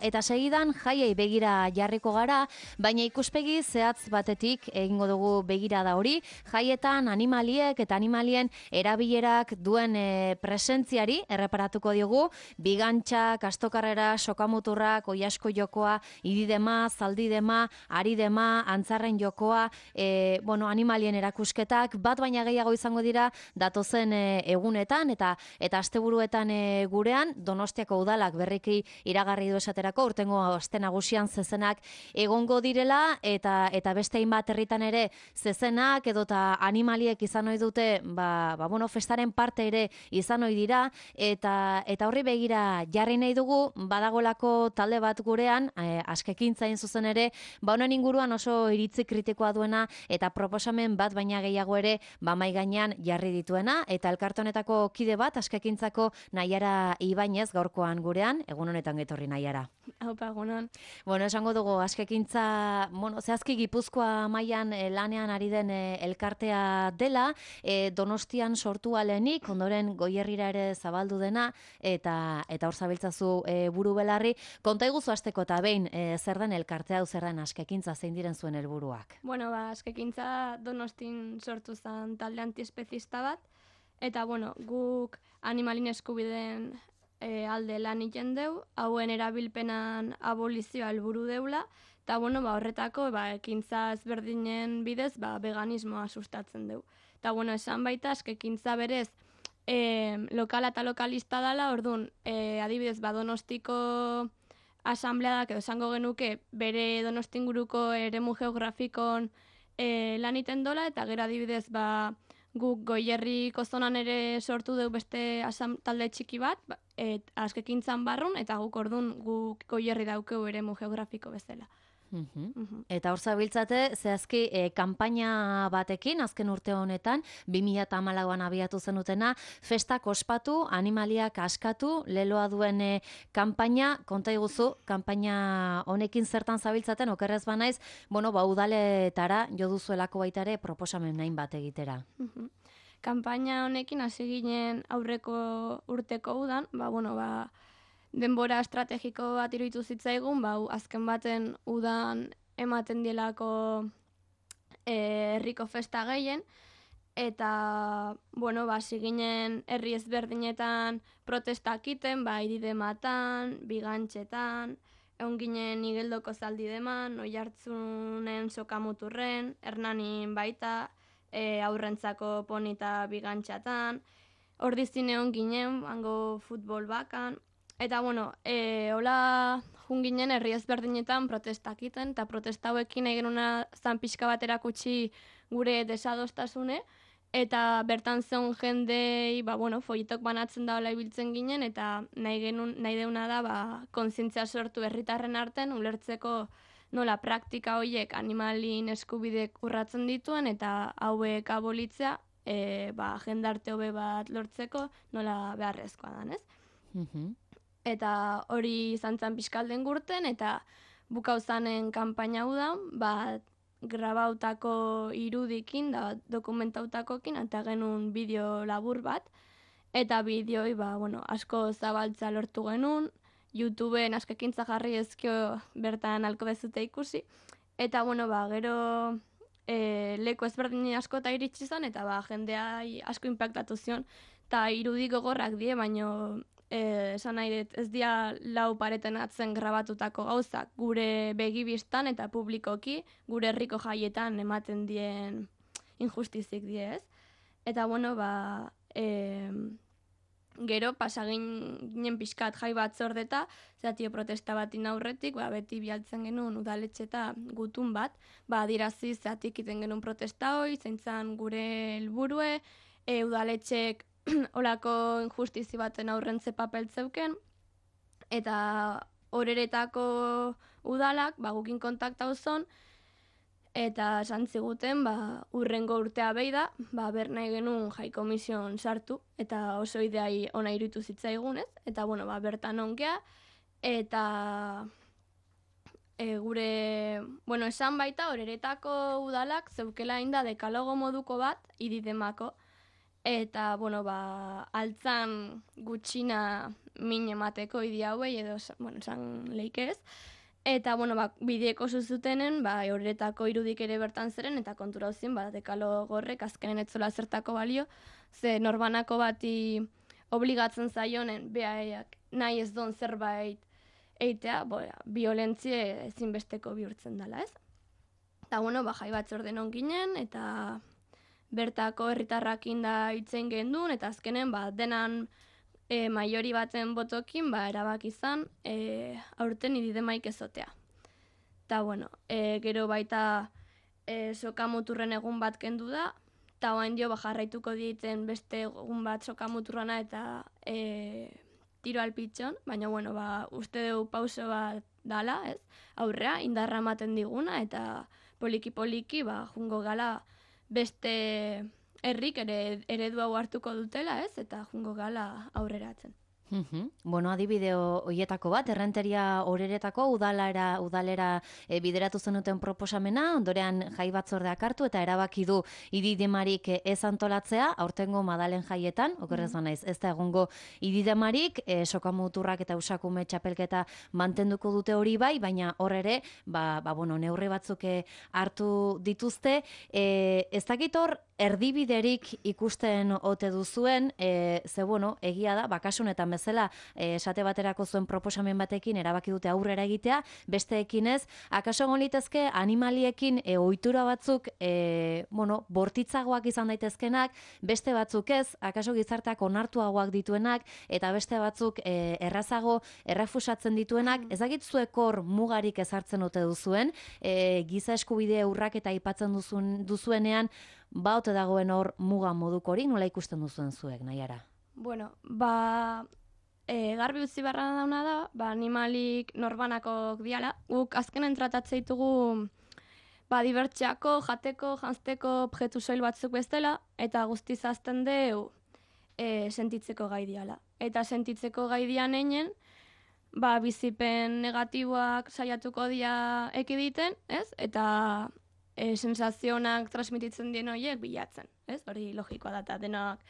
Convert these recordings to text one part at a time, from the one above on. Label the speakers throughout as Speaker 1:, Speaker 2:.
Speaker 1: Eta segidan jaiei begira jarriko gara, baina ikuspegi zehatz batetik egingo dugu begira da hori, jaietan animaliek eta animalien erabilerak duen presentziari erreparatuko diogu, bigantxak, astokarrera, sokamuturrak, oiasko jokoa, ididema, zaldidema, aridema, antzarren jokoa, animalien erakusketak, bat baina gehiago izango dira datozen egunetan eta asteburuetan gurean, Donostiako udalak berriki iragarri du esatera urtengo aste nagusian zezenak egongo direla eta beste hainbat herritan ere zezenak edota animaliek izan ohi dute festaren parte ere izan ohi dira eta horri begira jarri nahi dugu badagolako talde bat gurean askekintzain zuzen ere honen inguruan oso iritzi kritikoa duena eta proposamen bat baina gehiago ere mahai gainean jarri dituena eta elkarte honetako kide bat askekintzako Naiara Ibainez gaurkoan gurean egun honetan getorri Naiara.
Speaker 2: Haupa, egunon.
Speaker 1: Esango dugu, askekintza, zehazki Gipuzkoa mailan lanean ari den elkartea dela, Donostian sortu alenik, ondoren Goierrira ere zabaldu dena, eta hor zabiltzazu buru belarri. Konta iguzu hasteko eta behin, zer den elkartea, zer den askekintza, zein diren zuen helburuak?
Speaker 2: Askekintza Donostin sortu zen talde antiespezista bat, eta guk animalin eskubideen alde lan egiten deu, hauen erabilpenan abolizioa helburu deula, eta horretako ekintza ezberdinen bidez veganismoa sustatzen deu. Eta esan baita askekintza berez lokala eta lokalista dela, orduan adibidez Donostiko asambleadak edo esango genuke bere Donostinguruko eremu geografikon lan egiten dola, eta gero adibidez guk Goierriko zonan ere sortu dugu beste talde txiki bat, askekintzan barrun, eta guk Goierri daukeu eremu geografiko bezala.
Speaker 1: Eta hor zabiltzate, zehazki kanpaina batekin, azken urte honetan, 2014an abiatu zenutena, festak ospatu, animaliak askatu, leloa duen kanpaina, konta iguzu, kanpaina honekin zertan zabiltzaten, okerrez banaiz, udaletara, jo duzuelako baita ere, proposamen nahin bat egitera.
Speaker 2: Kanpaina honekin hasi ginen aurreko urteko udan, denbora estrategiko bat iruditu zitzaigun, azken baten udan ematen dielako herriko festa gehien, eta, hasi ginen herri ezberdinetan protestak iten, iridematan, bigantxetan, egon ginen Igeldoko zaldideman, Oiartzunen sokamuturren, Hernanin baita, aurrentzako ponita bigantxatan, Ordizin egon ginen, hango futbol bakan, eta hola jun ginen herri ezberdinetan protestak iten, eta protesta hauekin nahi genuna zan pixka bat erakutsi gure desadostasune, eta bertan zeon jendei, folletok banatzen da hola ibiltzen ginen, eta nahi deuna da kontzientzia sortu herritarren artean, ulertzeko nola praktika horiek animalin eskubidek urratzen dituen, eta hauek abolitzea, jendarte hobe bat lortzeko nola beharrezkoa dan, ez? Eta hori izan zen pixkalden gurten, eta bukauzanen kanpaina hau da, grabautako irudikin, da dokumentautakokin, eta genuen bideo labur bat, eta bideoi, asko zabaltza lortu genuen, YouTubeen askekintza jarri ezkio bertan alko bezute ikusi, eta gero leku ezberdin asko eta iritsi zen, eta jendea asko inpaktatu zion, eta irudik gogorrak die, baino esan nahi dut, ez dia lau pareten atzen grabatutako gauzak, gure begibistan eta publikoki, gure herriko jaietan ematen dien injustizik die, ez? Eta gero pasagin ginen pixkat jai bat zordeta, zatio protesta batin aurretik, beti bialtzen genuen udaletxeta gutun bat, adirazi zatik iten genuen protesta hoi, zeintzan gure helburue, udaletxek olako injustizi baten aurrentze papel zeuken, eta horeretako udalak gukin kontaktau zon, eta esan ziguten urrengo urtea behi da, ber nahi genuen jai komision sartu, eta oso ideai ona iruditu zitzaigunez, eta bertan onkea, eta gure, esan baita horeretako udalak zeukela inda dekalogo moduko bat ididemako, eta, bueno, altzan gutxina min emateko idi hauei, edo, bueno, esan leike ez. Eta, bueno, bideeko zuzutenen, horretako irudik ere bertan zeren, eta kontura hozien, dekalo gorrek, azkenen etzola zertako balio, ze norbanako bati obligatzen zaionen, behaiak nahi ez don zerbait eitea, violentzie ezinbesteko bihurtzen dela, ez? Eta, bueno, jai batzorden ginen, eta bertako herritarrak inda itzen gendun, eta azkenen, denan maiori baten botokin, erabak izan, aurten ididemaik ezotea. Eta, bueno, gero baita sokamuturren egun bat kendu da, eta oain dio jarraituko dieten beste egun bat sokamuturrana eta tiro alpitxon, baina, bueno, uste dugu pauso bat dala, ez? Aurrea, indarra ematen diguna, eta poliki-poliki, jungo gala beste herrik eredu hau hartuko dutela, ez? Eta jungo gala aurreratzen.
Speaker 1: Bueno, adibide hoietako bat, Errenteria Oreretako udalera bideratu zenuten proposamena, ondorean jai batzordeak hartu eta erabaki du ididemarik ez antolatzea, aurtengo Madalen jaietan, okerrez banaiz, ez da egongo ididemarik, sokamuturrak eta usakume txapelketa mantenduko dute hori bai, baina hor ere, bueno, neurri batzuk hartu dituzte, ez dakit hor, erdibiderik ikusten ote duzuen, ze bueno, egia da, kasu honetan bezala, esate baterako zuen proposamen batekin erabaki dute aurrera egitea, besteekin ez, akaso egon litezke animaliekin ohitura batzuk, bueno, bortitzagoak izan daitezkenak, beste batzuk ez, akaso gizarteak onartuagoak dituenak, eta beste batzuk errazago errefusatzen dituenak, ez dakit zuek hor mugarik ezartzen ote duzuen, giza eskubide urraketa aipatzen duzuenean, ote dagoen hor muga moduko hori, nola ikusten duzuen zuek, Naiara?
Speaker 2: Bueno, garbi utzi barra dauna da, animalik norbanakok diala. Guk azkenen tratatze ditugu dibertsiako, jateko, janzteko objektu soil batzuk bestela, eta guztiz azten deu sentitzeko gai diala. Eta sentitzeko gai dian einen, bizipen negatiboak saiatuko dia ekiditen, ez? Eta sensazionak transmititzen dien horiek bilatzen, ez? Hori logikoa da, eta denak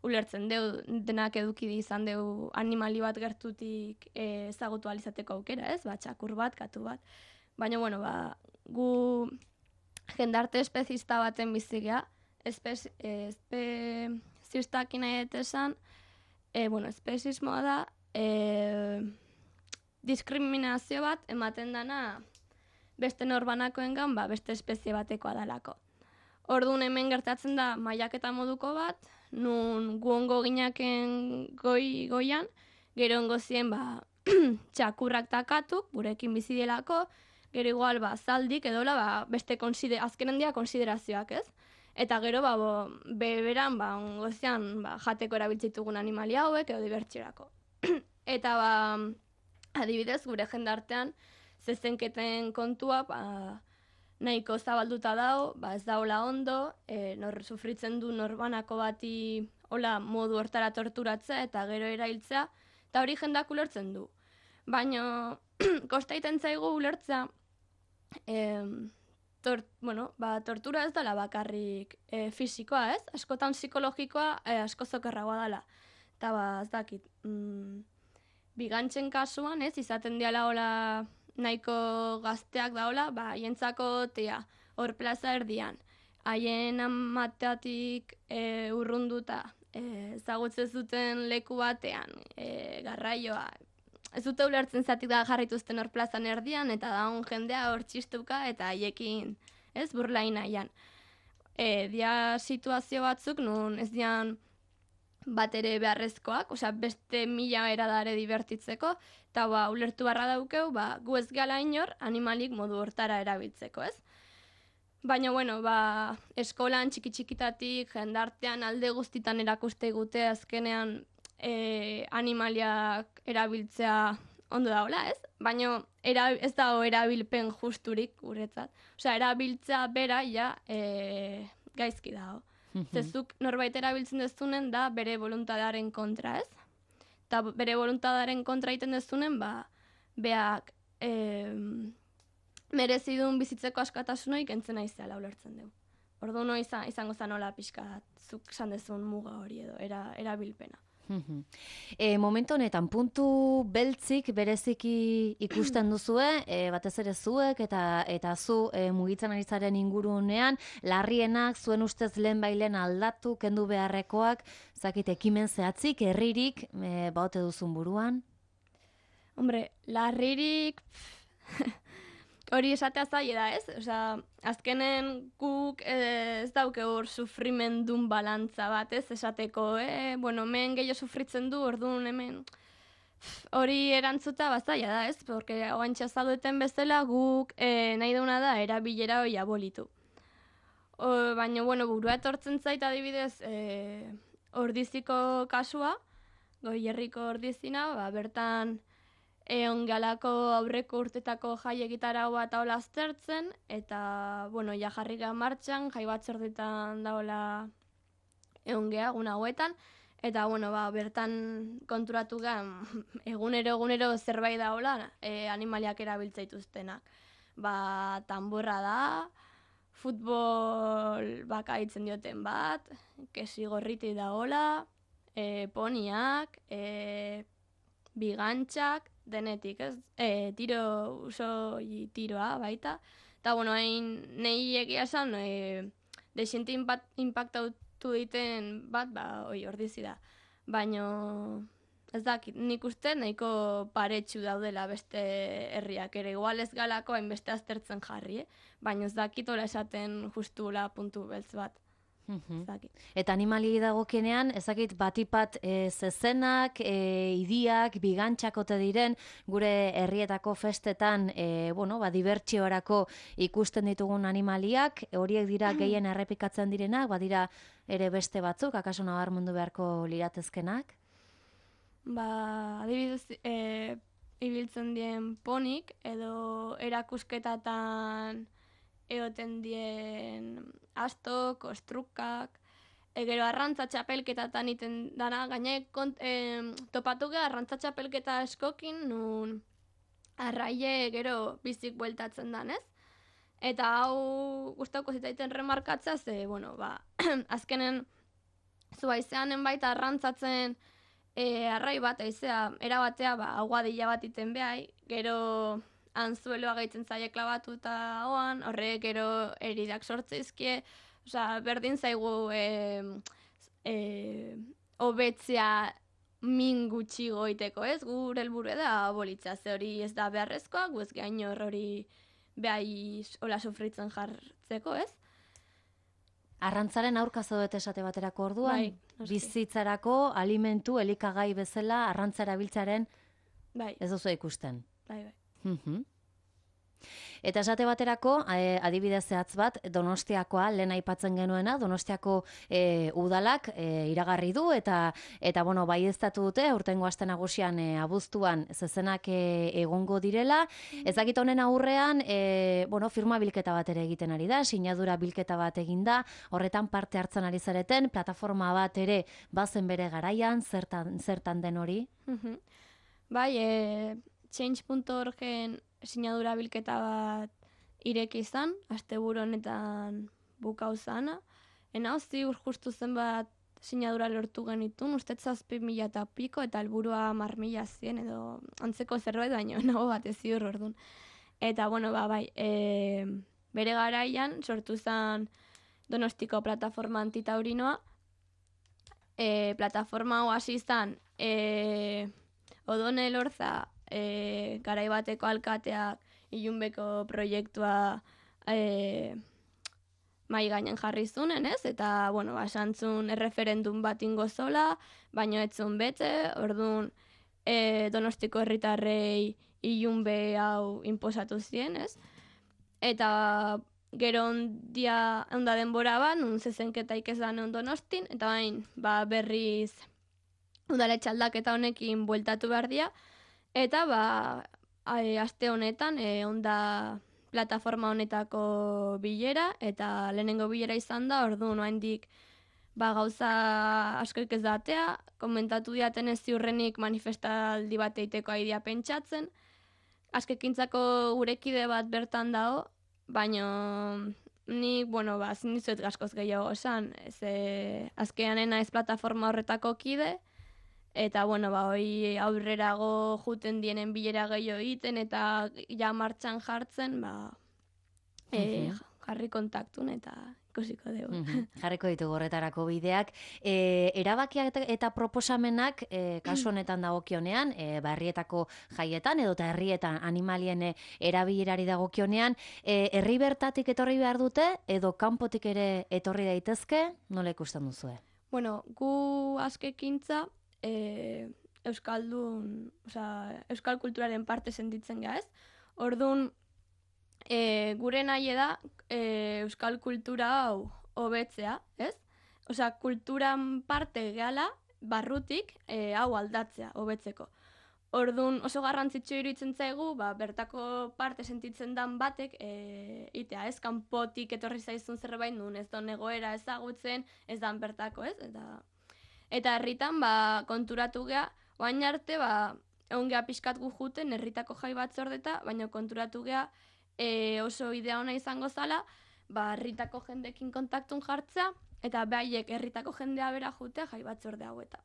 Speaker 2: ulertzen deu, denak eduki izan deu animali bat gertutik ezagutu alizateko aukera, ez? Txakur bat, katu bat. Baina, bueno, gu jendarte espezista baten bizigea, espezistak inaietesan, bueno, espezismoa da, diskriminazio bat ematen dana beste norbanakoengan, beste espezie batekoa dalako. Orduan hemen gertatzen da mailaketa moduko bat, nun gu ongo ginaken goian, gero ongo zien txakurrak takatuk, gurekin bizi delako, gero igual zaldik edola beste azkenen dia konsiderazioak, ez? Eta gero beberan ongo zian jateko erabiltzitugun animalia hauek edo dibertsiorako. Eta adibidez gure jendartean zezenketen kontua nahiko zabalduta dago, ez daola ondo, sufritzen du norbanako bati hola modu hortara torturatzea eta gero erailtzea, eta hori jendak ulertzen du. Baina kostaiten zaigu ulertzea, tortura ez dela bakarrik fisikoa, ez? Askotan psikologikoa asko zokerragoa dela. Eta ez dakit, bigantzen kasuan, ez, izaten diala hola nahiko gazteak daola, jentzako hor plaza erdian. Haien amateatik urrunduta, ezagutzen zuten leku batean, garraioa. Ez dute ulertzen zatik da jarrituzten hor plazan erdian, eta daun jendea hor txistuka eta haiekin, ez, burlain nahian. Dia situazio batzuk, nun ez dian bat ere beharrezkoak, beste 1000 eradare divertitzeko, eta ulertu barra daukeu, gu ez gala inor animalik modu hortara erabiltzeko, ez? Baina, bueno, eskolan txiki-txikitatik, jendartean alde guztitan erakuste gute azkenean animaliak erabiltzea ondo daola, ez? Baina ez dago erabilpen justurik guretzat. Erabiltzea bera gaizki dago. Zezuk norbait erabiltzen dezunen da bere voluntadaren kontra, ez? Eta bere voluntadaren kontra egiten dezunen, beak merezidun bizitzeko askatasunoik entzena izela ulertzen dugu. Orduan izango zanola pixka zuk esan dezun muga hori edo erabilpena.
Speaker 1: Momentu honetan, puntu beltzik bereziki ikusten duzue, batez ere zuek eta zu mugitzen ari zaren ingurunean, larrienak zuen ustez lehen aldatu, kendu beharrekoak, zakit ekimen zehatzik, herririk, baote duzun buruan?
Speaker 2: Hombre, larririk... Hori esatea zaila da, ez? Osea, azkenen guk ez dauke hor sufrimendun balantza bat, ez? Esateko, bueno, hemen gehiago sufritzen du, orduan hemen... Hori erantzuta zaila da, ez? Porque oantxa zaudeten bezala guk nahi duna da erabilera hori abolitu. Baina, bueno, burua etortzen zait adibidez ordiziko kasua, Goierriko ordizina, bertan... Egon galako aurreko urtetako jai egitarau bat hola aztertzen, eta, bueno, ja jarri geha martxan, jai batzordetan daola egon geha, egun hauetan, eta, bueno, bertan konturatu geha, egunero zerbait daola animaliak erabiltzaituztenak. Tamborra da, futbol bakaitzen dioten bat, kesi gorriti daola, poniak, bigantxak, denetik, ez? Tiroa baita. Eta, bueno, hain nahi egia esan, desiente impactautu diten bat, ordizi da. Baina, ez dakit, nik uste nahiko paretsu daudela beste herriak ere. Igual ez galako hainbeste aztertzen jarri, baina ez dakit hola esaten justula puntu beltz bat.
Speaker 1: Eta animali dagokienean, ezakit batipat zezenak, idiak, bigantxakote diren, gure herrietako festetan, dibertsiorako ikusten ditugun animaliak, horiek dira gehien errepikatzen direnak, badira ere beste batzuk, akaso nabarmendu beharko liratezkenak?
Speaker 2: Adibidez, ibiltzen dien ponik, edo erakusketatan egoten dien astok, ostrukak, gero arrantza txapelketatan iten dana, gaine topatu geha arrantza txapelketa eskokin, nun arraie gero bizik bueltatzen danez. Eta hau gustauko zitaiten remarkatzea, ze, azkenen zua izeanen baita arrantzatzen arrai bat, aizea, erabatea, aguadila bat iten behai, gero anzueloa gaitzen zaie klabatu eta oan, horrek gero eridak sortzeizkie, berdin zaigu hobetzea min gutxi goiteko, ez? Gure helburu da abolitza, ze hori ez da beharrezkoa, gu ez gain hori behai hola sufritzen jartzeko, ez?
Speaker 1: Arrantzaren aurka zaudete esate baterako orduan, bizitzarako, alimentu, elikagai bezala, arrantza erabiltzaren ez duzu ikusten.
Speaker 2: Bai.
Speaker 1: Eta esate baterako, adibidez zehatz bat, Donostiakoa, lehen aipatzen genuena, Donostiako udalak iragarri du, eta baieztatu dute, aurtengo aste nagusian abuztuan zezenak egongo direla. Ezakit honen aurrean, firma bilketa bat ere egiten ari da, sinadura bilketa bat eginda, horretan parte hartzen ari zareten, plataforma bat ere bazen bere garaian, zertan den hori?
Speaker 2: Change.orgen sinadura bilketa bat ireki izan, asteburu honetan bukau zana. Ziur justu zenbat sinadura lortu genitun, ustez 7.000 eta piko, eta helburua 10.000 zien, edo antzeko zerbait baino, nago bat ez ziur orduan. Eta, bere garaian sortu zen Donostiko plataforma antitaurinoa. Plataforma hau hasi izan Odone Elorza, garai bateko alkateak ilunbeko proiektua mai gainen jarri zunen, ez? Eta, esantzun erreferendum bat ingo zola, baino etzun bete, orduan Donostiko herritarrei ilunbe hau inposatu zien, ez? Eta gero onda denbora bat, nun zezenketaik ez da non Donostin, eta berriz udaletxe aldaketa honekin bueltatu behar dira, eta aste honetan onda plataforma honetako bilera, eta lehenengo bilera izan da, orduan oraindik gauza askoik ez datea, komentatu diaten ez ziurrenik manifestaldi bat eiteko aidea pentsatzen, askekintzako gurekide bat bertan dago, baina nik, bueno, ezin dizuet askoz gehiago esan, azkenean ez plataforma horretako kide, eta, bueno, hoi aurrerago juten dienen bilera gehiago egiten, eta ja martxan jartzen, jarri kontaktun eta ikusiko dugu.
Speaker 1: Jarriko ditugu horretarako bideak. Erabakiak eta proposamenak, kasu honetan dagokionean, herrietako jaietan edo eta herrietan animalien erabilerari dagokionean, herri bertatik etorri behar dute edo kanpotik ere etorri daitezke, nola ikusten duzue?
Speaker 2: Bueno, gu askekintza euskal kulturaren parte sentitzen ga, ez? Orduan, gure nahi da euskal kultura hau hobetzea, ez? Osea, kulturan parte gehala, barrutik hau aldatzea, hobetzeko. Orduan oso garrantzitsu iruditzen zaigu, bertako parte sentitzen dan batek itea, ez? Kanpotik etorri zaizun zerbait nun, ez don egoera ezagutzen, ez dan bertako, ez? Eta herritan konturatu gea, oain arte egon gea pixkat gu juten herritako jai batzordeta, baina konturatu gea oso idea ona izango zala, herritako jendekin kontaktun jartzea, eta behaiek herritako jendea bera jutea jai batzorde haueta.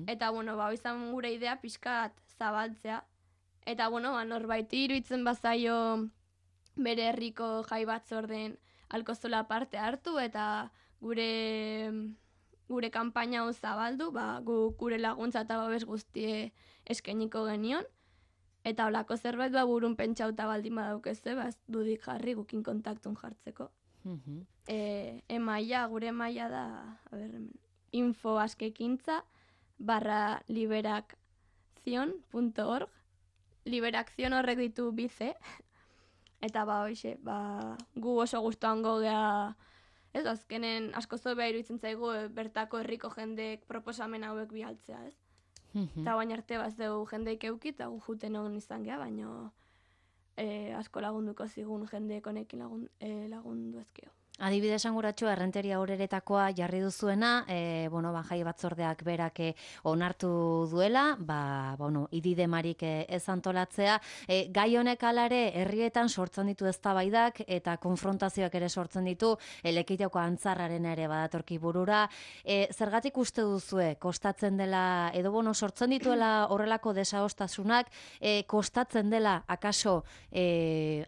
Speaker 2: Eta, bueno, izan gure idea pixkat zabaltzea. Eta, bueno, norbaiti iruditzen bazaio bere herriko jai batzorden alkozola parte hartu, eta gure kanpaina hau zabaldu, gure laguntza eta babes guztie eskainiko genion. Eta holako zerbait burun pentsauta baldin badaukezue, ez dudik jarri gukin kontaktun jartzeko. Gure emaila da, info@liberakzion.org. Liberakzion horrek ditu bize. Eta gu oso gustuango gea, ez azkenen asko zobea iruditzen zaigu bertako herriko jendeek proposamen hauek bialtzea, ez? Eta baina arte dugu jendeik eukit, eta gu juten hon izan geha, baina asko lagunduko zigun jendeek honekin lagundu ezkeo.
Speaker 1: Adibidez esanguratxo, errenteria horeretakoa jarri duzuena, jai batzordeak berak onartu duela, ididemarik ez antolatzea. Gai honek alare, herrietan sortzen ditu eztabaidak eta konfrontazioak ere sortzen ditu, Lekeioko antzarraren ere badatorki burura. Zergatik uste duzue, kostatzen dela, edo sortzen dituela horrelako desadostasunak, kostatzen dela, akaso,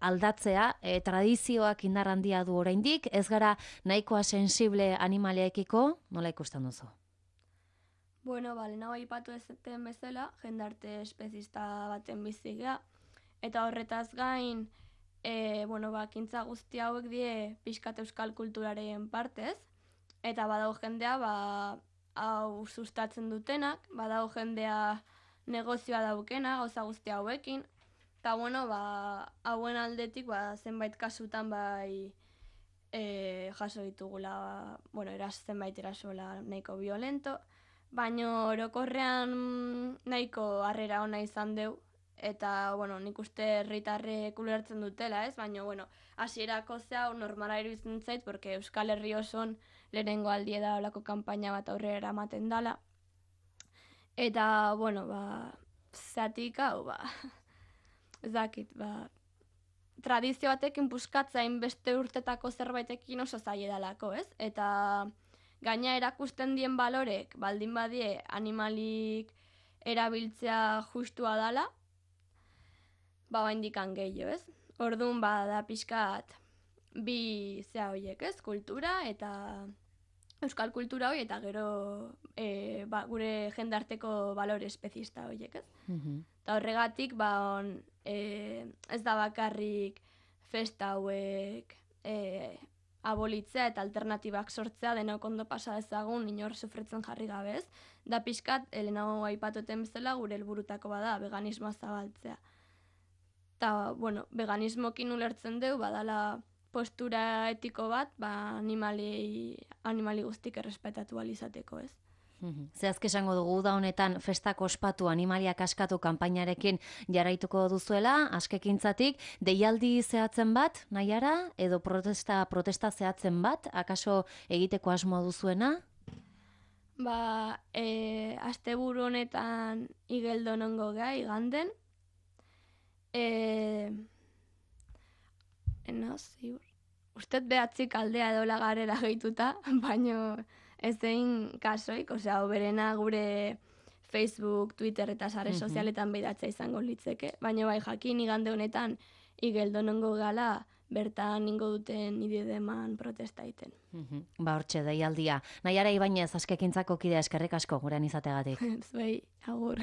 Speaker 1: aldatzea, tradizioak indar handia du oraindik, ez gara nahikoa sensible animaliaekiko, nola ikusten duzu?
Speaker 2: Bueno, lehenago aipatu ezten bezala, jendarte espezista baten bizigea, eta horretaz gain, kintza guzti hauek die pixkat euskal kulturaren partez, eta badago jendea, hau sustatzen dutenak, badago jendea negozioa daukena, gauza guzti hauekin, eta hauen aldetik zenbait kasutan jaso ditugula, zenbait erasola nahiko violento, baina orokorrean nahiko harrera ona izan deu, eta nik uste herritarrek ulertzen dutela, ez? Baina, hasierako zehau normala iruditzen zait, porque Euskal Herri oson lehenengo aldie da olako kanpaina bat aurrera eramaten dala. Eta, zatik hau, ez dakit, tradizio batekin puskatzain beste urtetako zerbaitekin oso zaila dalako, ez? Eta gaina erakusten dien balorek, baldin badie animalik erabiltzea justua dala, indikan gehiago, ez? Orduan, da pixkat bi zea horiek, ez? Kultura eta euskal kultura hori, eta gero gure jendarteko balore espezista horiek, ez? Eta horregatik, ez da bakarrik festa hauek abolitzea eta alternatibak sortzea denok ondo pasa dezagun inor sufritzen jarri gabe, ez? Da pixkat, lehenago aipatuten bezala gure helburutako bada veganismoa zabaltzea. Eta, veganismokin ulertzen deu, badala postura etiko bat, animali guztik errespetatu alizateko, ez?
Speaker 1: Zehazke esango dugu da honetan festak ospatu animaliak askatu kanpainarekin jarraituko duzuela, askekintzatik, deialdi zehatzen bat, nahiara, edo protesta zehatzen bat, akaso egiteko asmoa duzuena?
Speaker 2: Asteburu honetan igeldo nongo gai, iganden. ustet behatzik aldea edola garera gehituta, baino ez zein kasoik, osea, oberena gure Facebook, Twitter eta sare sozialetan behidatzea izango litzeke, baina bai jakin igande honetan igeldo nongo gala bertan ingo duten idedeman protesta iten.
Speaker 1: Ba hortxe deialdia. Naiara Ibainez, Askekintzako kidea, eskerrik asko gurean izateagatik.
Speaker 2: Zuei, agur.